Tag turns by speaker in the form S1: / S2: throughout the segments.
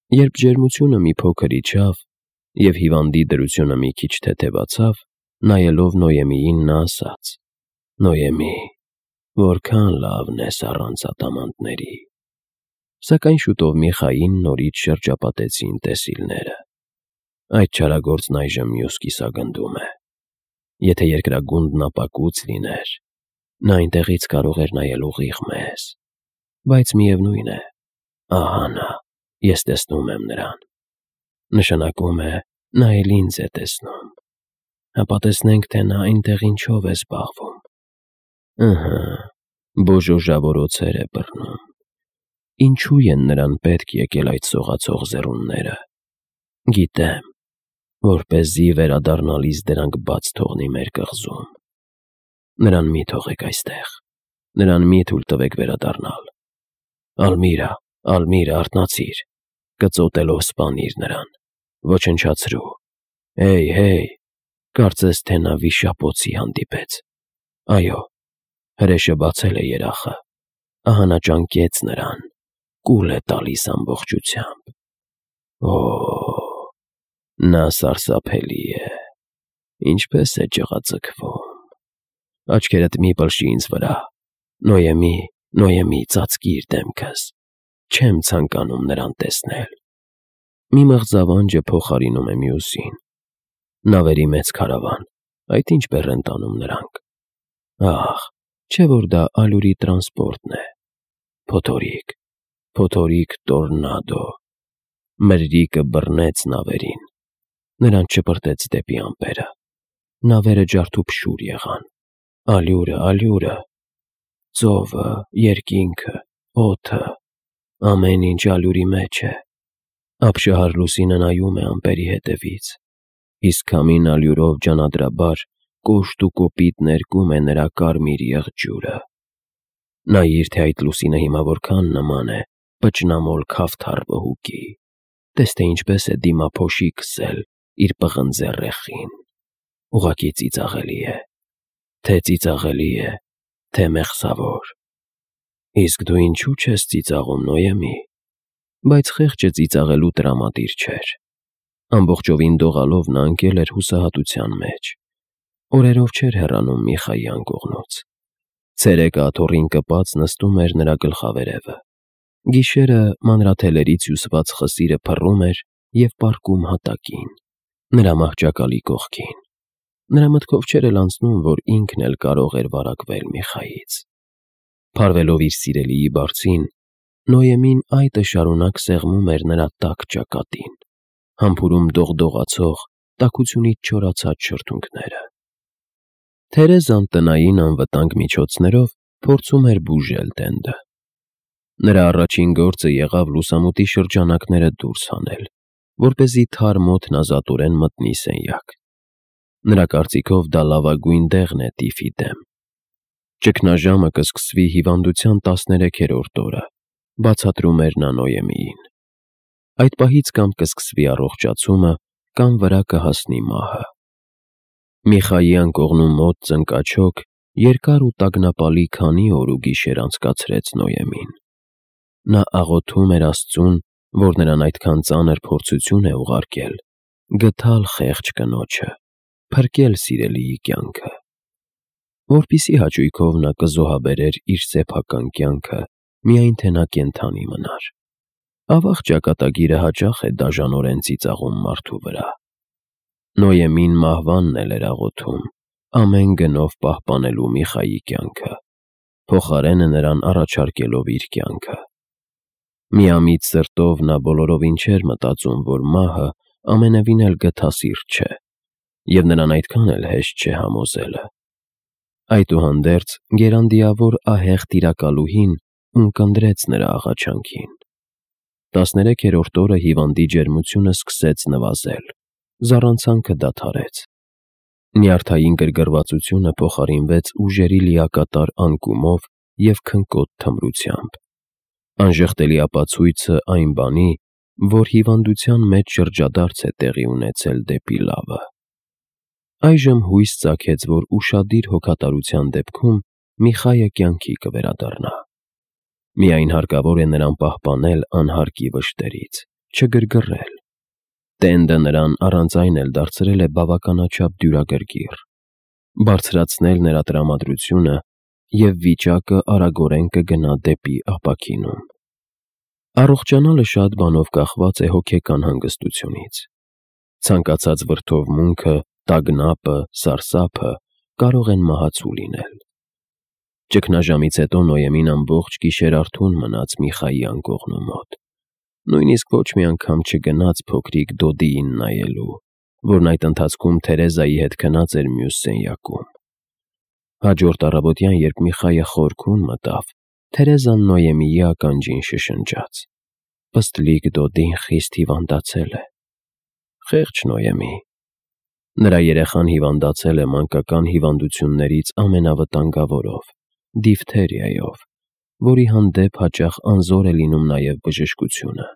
S1: Երբ ջերմությունը մի փոքր իջավ և հիվանդի դրությունը մի քիչ թեթևացավ, նայելով Նոյեմիին նա ասաց. «Նոյեմի, որքան լավն ես առանց ադամանդների»։ Սակայն շուտով Միխային նորից շրջապատեցին տեսիլները։ Այդ չարագործն այժմ մյուս կիսագնդում է։ Եթե երկրագունդն ապակուց լիներ, նա այնտեղից կարող էր նայել ուղիղ մեզ, բայց միևնույն է, ահա նա, ես տեսնում եմ նրան։ Նշանակում է, նա էլ ինձ է տեսնում։ Հապա տեսնենք, թե նա այնտեղ ինչով է զբաղվում։ Ըհը, բոժոժավորոցեր է բռնում։ Ինչու են նրան պետք եկել այդ սողացող ձեռունները։ Գիտեմ, որպեսզի վերադառնալիս դրանք բաց թողնի մեր կղզում։ Նրան մի թողեք այստեղ, նրան մի թույլ տվեք վերադառնալ։ Ալմիրա, արթնացիր, կծոտելով սպանիր նրան, ոչնչացրու։ Հեյ, կարծես թե նա վիշապոցի հանդիպեց։ Այո, հրեշը բացել է երախը, ահա նա ճանկեց նրան, կուլ է տալիս ամբողջությամբ։ Օ, նա սարսափելի է, ինչպես է ջղաձգվում։ Աչքերդ մի պլշի ինձ վրա, Նոյեմի, ծածկիր դեմքս, չեմ ցանկանում նրան տեսնել։ Մի մղձավանջը փոխարինում է մյուսին։ Նավերի մեծ քարավան, այդ ինչ բեռ են տանում նրանք։ Ահ, չէ՞ որ դա ալյուրի տրանսպորտն է։ Փոթորիկ տորնադո։ Մրրիկը բռնեց նավերին, նրանց շպրտեց դեպի ամպերը։ Նավերը ջարդուփշուր եղան։ Ալյուրը, ծովը, երկինքը, օդը, ամեն ինչ ալյուրի մեջ է։ Ապշահար լուսինը նայում է ամպերի հետևից, իսկ քամին ալյուրով ջանադրաբար կոշտ ու կոպիտ ներկում է նրա կարմիր եղջյուրը։ Նայիր, թե այդ լուսինը հիմա որքան նման է պճնամոլ քավթար վհուկի։ Տես, թե ինչպես է դիմափոշի քսել իր պղնձե ռեխին։ Ուղղակի ծիծաղելի է, թե մեղսավոր։ Իսկ դու ինչու չես ծիծաղում, Նոյեմի։ Բայց խեղճը ծիծաղելու տրամադիր չէր։ Ամբողջովին դողալով նա ընկել էր հուսահատության մեջ։ Օրերով չէր հեռանում Միխայի անկողնուց։ Ցերեկը աթոռին կպած նստում էր նրա գլխավերևը։ Գիշերը մանրաթելերից հյուսված խսիրը փռում էր և պառկում հատակին, նրա մահճակալի կողքին։ Նրա մտքով չէր էլ անցնում, որ ինքն էլ կարող էր վարակվել Միխայից։ Փարվելով իր սիրելիի բարձին, Նոյեմին այտը շարունակ սեղմում էր նրա տաք ճակատին, համբուրում դողդողացող, տաքությունից չորացած շրթունքները։ Թերեզան տնային անվտանգ միջոցներով փորձում էր բուժել տենդը։ Նրա առաջին գործը եղավ լուսամուտի շրջանակները դուրս հանել, որպեսզի թարմ օդն ազատորեն մտնի սենյակ։ Նրա կարծիքով դա լավագույն տեղն է տիֆի դեմ։ Ճգնաժամը կսկսվի հիվանդության 13-րդ օրը, բացատրում էր նա Նոյեմիին։ Այդ պահից կամ կսկսվի առողջացումը, կամ վրա կհասնի մահը։ Միխայի անկողնու մոտ ծնկաչոք երկար ու տագնապալի քանի օր ու գիշեր անցկացրեց Նոյեմին։ Նա աղոթում էր Աստծուն, որ նրան այդքան ծանր փորձություն է ուղարկել, գթալ խեղճ կնոջը, փրկել սիրելիի կյանքը, որպեսզի հաճույքով նա կզոհաբերեր իր սեփական կյանքը, միայն թե նա կենդանի մնար։ Ավաղ ճակատագիրը հաճախ է դաժանորեն ծիծաղում մարդու վրա։ Նոյեմին մահվանն էլ էր աղոթում, ամեն գնով պահպանելու Միխայի կյանքը, փոխարենը նրան առաջարկելով իր կյանքը։ Միամիտ սրտով նա բոլորովին չէր մտածում, որ մահը ամենևին էլ գթասիրտ չէ, և նրան այդքան էլ հեշտ չէ համոզելը։ Այդուհանդերձ գերանդիավոր ահեղ տիրակալուհին ունկնդրեց նրա աղաչանքին։ 13-րդ օրը հիվանդի ջերմությունը սկսեց նվազել, զառանցանքը դադարեց։ Նյարդային գրգռվածությունը փոխարինվեց ուժերի լիակատար անկումով և քնկոտ թմրությամբ։ Անժխտելի ապացույցը այն բանի, որ հիվանդության մեջ շրջադարձ է տեղի ունեցել դեպի լավը։ Այժմ հույս ծագեց, որ ուշադիր հոգատարության դեպքում Միխայը կյանքի կվերադառնա։ Միայն հարկավոր է նրան պահպանել անհարկի վշտերից, չգրգռել։ Տենդը նրան առանց այն էլ դարձրել է բավականաչափ դյուրագրգիռ, բարձրացնել նրա տրամադրությունը և վիճակը արագորեն կգնա դեպի ապաքինում։ Առողջանալը շատ բանով կախված է հոգեկան հանգստությունից։ Ցանկացած վրդովմունքը, տագնապը, սարսափը կարող են մահացու լինել։ Ճգնաժամից հետո Նոյեմին ամբողջ գիշեր արթուն մնաց Միխայի անկողնու մոտ։ Նույնիսկ ոչ մի անգամ չգնաց փոքրիկ Դոդիին նայելու, որն այդ ընթացքում Թերեզայի հետ քնած էր մյուս սենյակում։ Հաջորդ առավոտյան, երբ Միխայը խորքուն մտավ, Թերեզան Նոյեմիի ականջին շշնջաց. «Պստլիկ Դոդին խիստ հիվանդացել է»։ Խեղճ Նոյեմի։ Նրա երեխան հիվանդացել է մանկական հիվանդություններից ամենավտանգավորով՝ դիֆթերիայով, որի հանդեպ հաճախ անզոր է լինում նաև բժշկությունը։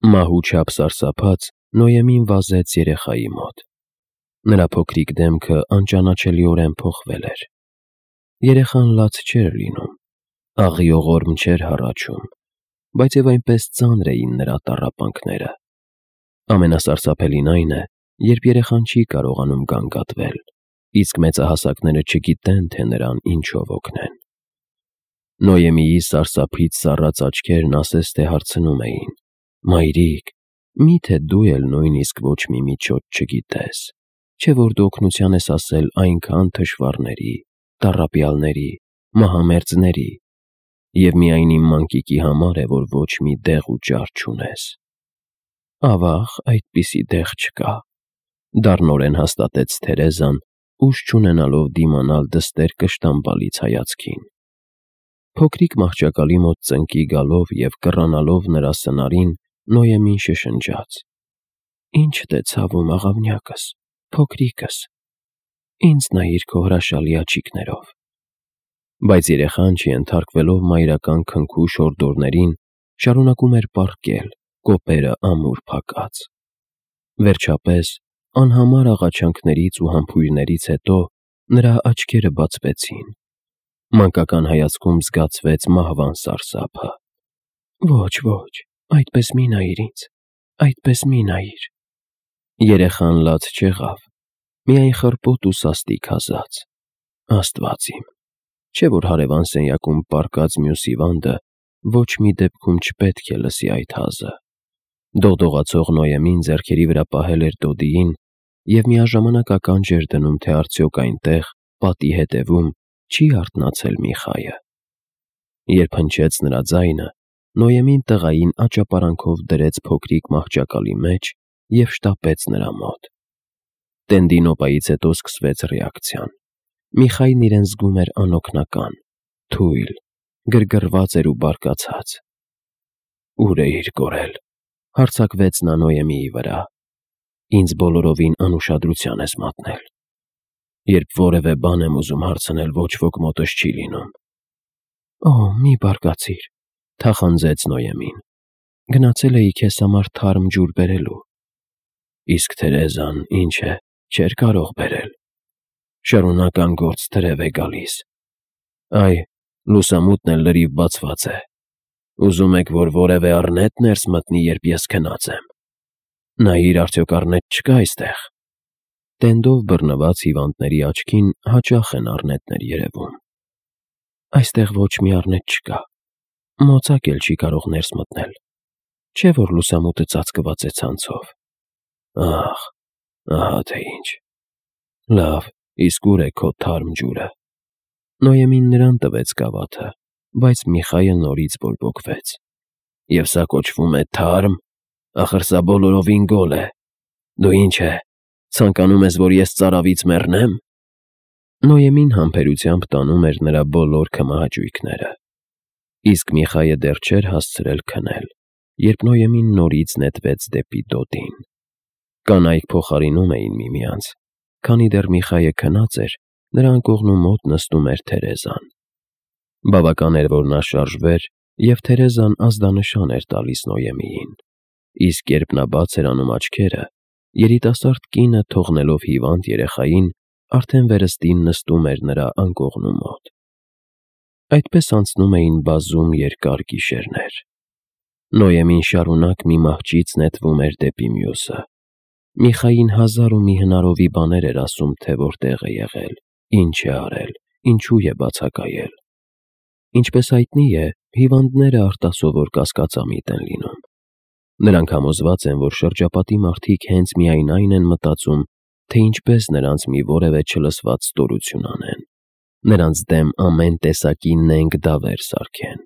S1: Մահու չափ սարսափած, Նոյեմին վազեց երեխայի մոտ։ Նրա փոքրիկ դեմքը անճանաչելիորեն փոխվել էր։ Երեխան լաց չէր լինում, աղիողորմ չէր հառաչում, բայց և այնպես ծանր էին նրա տառապանքները։ Ամենասարսափելին այն է, երբ երեխան չի կարողանում գանգատվել, իսկ մեծահասակները չգիտեն, թե նրան ինչով օգնեն։ Նոյեմիի սարսափից սառած աչքերն ասես թե հարցնում էին. «Մայրիկ, մի՞թե դու էլ նույնիսկ ոչ մի միջոց չգիտես, չէ՞ որ դու օգնության ես ասել այնքան թշվառների, տառապյալների, մահամերձների, և միայն իմ մանկիկի համար է, որ ոչ մի դեղ ու ճար չունես»։ Ավաղ, այդպիսի դեղ չկա, դառնորեն հաստատեց Թերեզան, ուժ չունենալով դիմանալ դստեր կշտամբալից հայացքին։ Փոքրիկ մահճակալի մոտ ծնկի գալով և կռանալով նրա սնարին, Նոյեմին շշնջաց. «Ի՞նչդ է ցավում, աղավնյակս, փոքրիկս, ինձ նայիր քո հրաշալի աչիկներով»։ Բայց երեխան, չենթարկվելով մայրական քնքու շորդորներին, շարունակում էր պառկել, կոպերը ամուր փակած։ Վերջապես, անհամար աղաչանքներից ու համբույրներից հետո, նրա աչքերը բացվեցին։ Մանկական հայացքում զգացվեց մահվան սարսափը։ «Ոչ, ոչ, այդպես մի նայիր ինձ, այդպես մի նայիր»։ Երեխան լաց չեղավ, միայն խռպոտ ու սաստիկ հազաց։ Աստված իմ, չէ՞ որ հարևան սենյակում պառկած մյուս հիվանդը ոչ մի դեպքում չպետք է լսի այդ հազը։ Դողդողացող Նոյեմին ձեռքերի վրա պահել էր Դոդիին և միաժամանակ ականջ էր դնում, թե արդյոք այնտեղ, պատի հետևում, չի արթնացել Միխայը։ Երբ հնչեց նրա ձայնը, Նոյեմին տղային աճապարանքով դրեց փոքրիկ մահճակալի մեջ և շտապեց նրա մոտ։ Տենդի նոպայից հետո սկսվեց ռեակցիան։ Միխայն իրեն զգում էր անօգնական, թույլ, գրգռված էր ու բարկացած։ «Ո՞ւր էիր կորել», հարձակվեց նա Նոյեմիի վրա։ «Ինձ բոլորովին անուշադրության ես մատնել։ Երբ որևէ բան եմ ուզում հարցնել, ոչ ոք մոտս չի լինում»։ «Օ, մի բարկացիր», թախանձեց Նոյեմին։ «Գնացել էի քեզ համար թարմ ջուր բերելու»։ «Իսկ Թերեզան, ինչ է, չէր կարող բերել»։ «Շարունակ անգործ թրև է գալիս։ Այ, լուսամուտն էլ լրիվ բացված է։ Ուզում եք, որ որևէ առնետ ներս մտնի, երբ ես քնած եմ։ Նայիր, արդյոք առնետ չկա այստեղ»։ Տենդով բռնված հիվանդների աչքին հաճախ են առնետներ երևում։ «Այստեղ ոչ մի առնետ չկա, մոծակ էլ չի կարող ներս մտնել, չէ՞ որ լուսամուտը ծածկված է ցանցով»։ «Ահ, ահա թե ինչ։ Լավ, իսկ ո՞ւր է քո թարմ ջուրը»։ Նոյեմին նրան տվեց գավաթը, բայց Միխայը նորից բորբոքվեց։ «Եվ սա կոչվում է թարմ, ախր սա բոլորովին գոլ է։ Դու ինչ է, ցանկանում ես, որ ես ծարավից մեռնե՞մ»։ Նոյեմին համբերությամբ տանում էր նրա բոլոր քմահաճույքները։ Իսկ Միխայը դեռ չէր հասցրել քնել, երբ Նոյեմին նորից նետվեց դեպի Դոդին։ Կանայք փոխարինում էին միմյանց։ Քանի դեռ Միխայը քնած էր, նրա անկողնու մոտ նստում էր Թերեզան։ Բավական էր, որ նա շարժվեր, և Թերեզան ազդանշան էր տալիս Նոյեմիին, իսկ երբ նա բաց էր անում աչքերը, երիտասարդ կինը, թողնելով հիվանդ երեխային, արդեն վերստին նստում էր նրա անկողնու մոտ։ Այդպես անցնում էին բազում երկար գիշերներ։ Նոյեմին շարունակ մի մահճից նետվում էր դեպի մյուսը։ Միխային հազար ու մի հնարովի բաներ էր ասում, թե որտեղ է եղել, ինչ է արել, ինչու է բացակայել։ Ինչպես հայտնի է, հիվանդները արտասովոր կասկածամիտ են լինում։ Նրանք համոզված են, որ շրջապատի մարդիկ հենց միայն այն են մտածում, թե ինչպես նրանց մի որևէ չլսված ստորություն անեն, նրանց դեմ ամեն տեսակի նենգ դավեր սարքեն։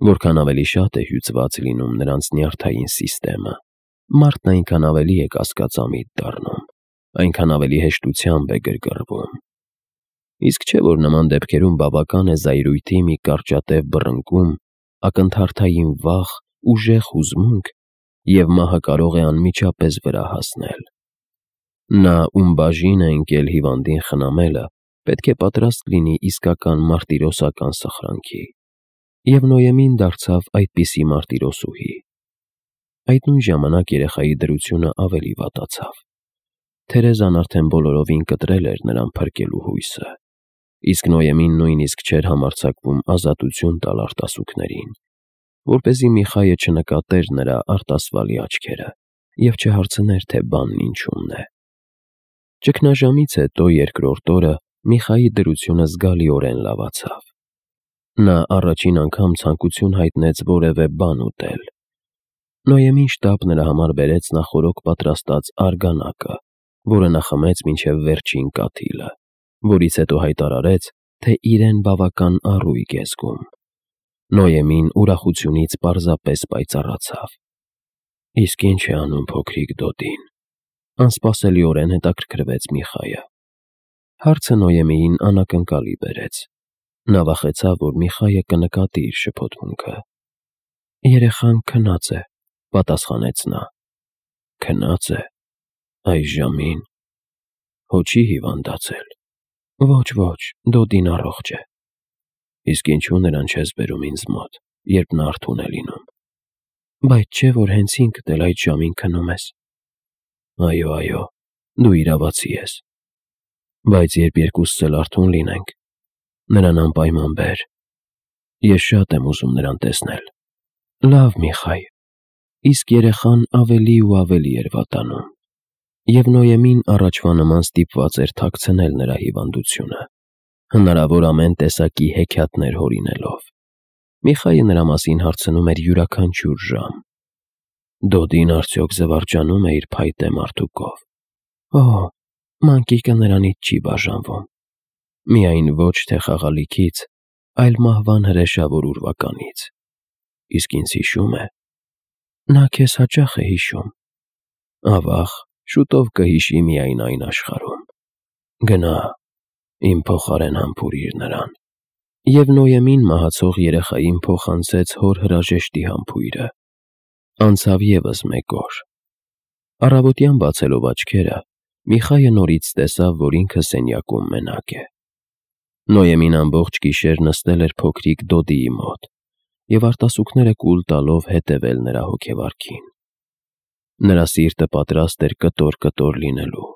S1: Որքան ավելի շատ է հյուծված լինում նրանց նյարդային սիստեմը, մարդն այնքան ավելի է կասկածամիտ դառնում, այնքան ավելի հեշտությամբ է գրգռվում։ Իսկ չէ՞ որ նման դեպքերում բավական է զայրույթի մի կարճատև բռնկում, ակնթարթային վախ, ուժեղ հուզմունք, և մահը կարող է անմիջապես վրա հասնել։ Նա, ում բաժին է ընկել հիվանդին խնամելը, պետք է պատրաստ լինի իսկական մարտիրոսական սխրանքի։ Եվ Նոյեմին դարձավ այդպիսի մարտիրոսուհի։ Այդ նույն ժամանակ երեխայի դրությունը ավելի վատացավ։ Թերեզան արդեն բոլորովին կտրել էր նրան փրկելու հույսը, իսկ Նոյեմին նույնիսկ չէր համարձակվում ազատություն տալ արտասուքներին, որպեսզի Միխայը չնկատեր նրա արտասվալի աչքերը և չհարցներ, թե բանն ինչումն է։ Ճգնաժամից հետո երկրորդ օրը Միխայի դրությունը զգալիորեն լավացավ։ Նա առաջին անգամ ցանկություն հայտնեց որևէ բան ուտել։ Նոյեմին շտապ նրա համար բերեց նախօրոք պատրաստած արգանակը, որը նա խմեց մինչև վերջին կաթիլը, որից հետո հայտարարեց, թե իրեն բավական առույգ է զգում։ Նոյեմին ուրախությունից պարզապես պայծառացավ։ Իսկ ինչ է անում փոքրիկ Դոդին, անսպասելիորեն հետաքրքրվեց Միխայը։ Հարցը Նոյեմիին անակնկալի բերեց։ Նա վախեցավ, որ Միխայը կնկատի իր շփոթմունքը։ Երեխան քնած է, պատասխանեց նա։ Քնած է, այս ժամին։ Հո չի հիվանդացել։ Ոչ, Դոդին առողջ է։ Իսկ ինչու նրան չես բերում ինձ մոտ, երբ նա արթուն է լինում։ Բայց չէ՞ որ հենց ինքդ էլ այդ ժամին քնում ես։ Այո, դու իրավացի ես։ Բայց երբ երկուսս էլ արթուն լինենք, նրան անպայման բեր։ Ես շատ եմ ուզում նրան տեսնել։ Լավ, Միխայ։ Իսկ երեխան ավելի ու ավելի էր վատանում, և Նոյեմին առաջվա նման ստիպված էր թաքցնել նրա հիվանդությունը, հնարավոր ամեն տեսակի հեքիաթներ հորինելով։ Միխայը նրա մասին հարցնում էր յուրաքանչյուր ժամ։ Դոդին արդյոք զվարճանում է իր փայտե մարդուկով։ Օհ, մանկիկը նրանից չի բաժանվում։ Միայն ոչ թե խաղալիքից, այլ մահվան հրեշավոր ուրվականից։ Իսկ ինձ հիշում է։ Նա քեզ հաճախ է հիշում։ Ավաղ, շուտով կհիշի միայն այն աշխարհում։ Գնա, իմ փոխարեն համբուրիր նրան։ Եվ Նոյեմին մահացող երեխային փոխանցեց հոր հրաժեշտի համբույրը։ Անցավ ևս մեկ օր։ Առավոտյան բացելով աչքերը, Միխայը նորից տեսավ, որ ինքը սենյակում մենակ է։ Նոյեմին ամբողջ գիշեր նստել էր փոքրիկ Դոդիի մոտ և արտասուքները կուլ տալով հետևել նրա հոգեվարքին։ Նրա սիրտը պատրաստ էր կտոր լինելու,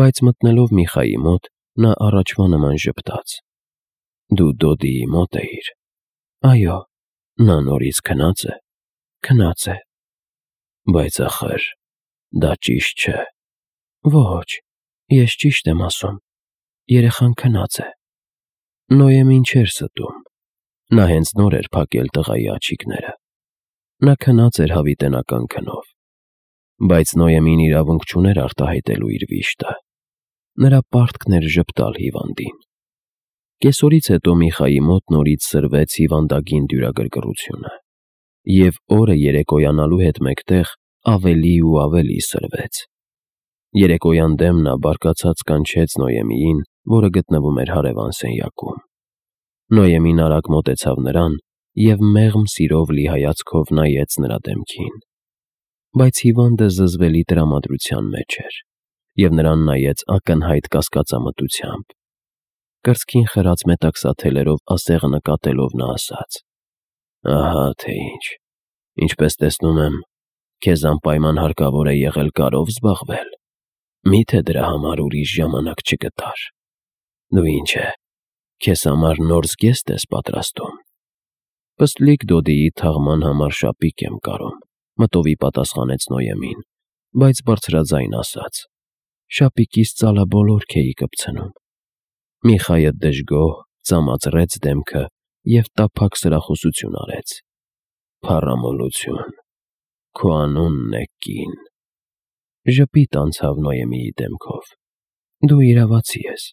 S1: բայց մտնելով Միխայի մոտ, նա առաջվա նման ժպտաց։ Դու Դոդիի մոտ էիր։ Այո, նա նորից քնած է։ Քնած է։ Բայց ախր, դա ճիշտ չէ։ Ոչ, ես ճիշտ եմ ասում։ Երեխան քնած է։ Նոյեմին չէր ստում։ Նա հենց նոր էր փակել տղայի աջիկները։ Նա քնած էր հավիտենական քնով։ Բայց Նոյեմին իրավունք չուներ արտահայտելու իր վիշտը։ Նրա պարտքն էր ժպտալ հիվանդին։ Կեսօրից հետո Միխայի մոտ նորից սրվեց հիվանդագին դյուրագրգռությունը, և օրը երեկոյանալու հետ մեկտեղ ավելի ու ավելի սրվեց։ Երեկոյան դեմ նա բարկացած կանչեց Նոյեմիին, որը գտնվում էր հարևան սենյակում։ Նոյեմին արագ մոտեցավ նրան և մեղմ սիրով լի հայացքով նայեց նրա դեմքին։ Բայց հիվանդը զզվելի տրամադրության մեջ էր, և նրան նայեց ակնհայտ կասկածամտությամբ։ Կրծքին խրած մետաքսաթելերով ասեղը նկատելով նա ասաց. Ահա թե ինչ, ինչպես տեսնում եմ, քեզ անպայման հարկավոր է եղել կարով զբաղվել։ Մի՞թե դրա համար ուրիշ ժամանակ չգտար։ Դու ինչ է, քեզ համար նոր զգեստ ես պատրաստում։ Պստլիկ Դոդիի թաղման համար շապիկ եմ կարում, մտովի պատասխանեց Նոյեմին, բայց բարձրաձայն ասաց. շապիկիս ծալա բոլոր քեի կպցնում։ Միխայը դժգոհ ծամացրեց դեմքը և տափակ սրախոսություն արեց. Փառամոլություն, քո անունն է կին։ Ժպիտ անցավ Նոյեմիի դեմքով. Դու իրավացի ես։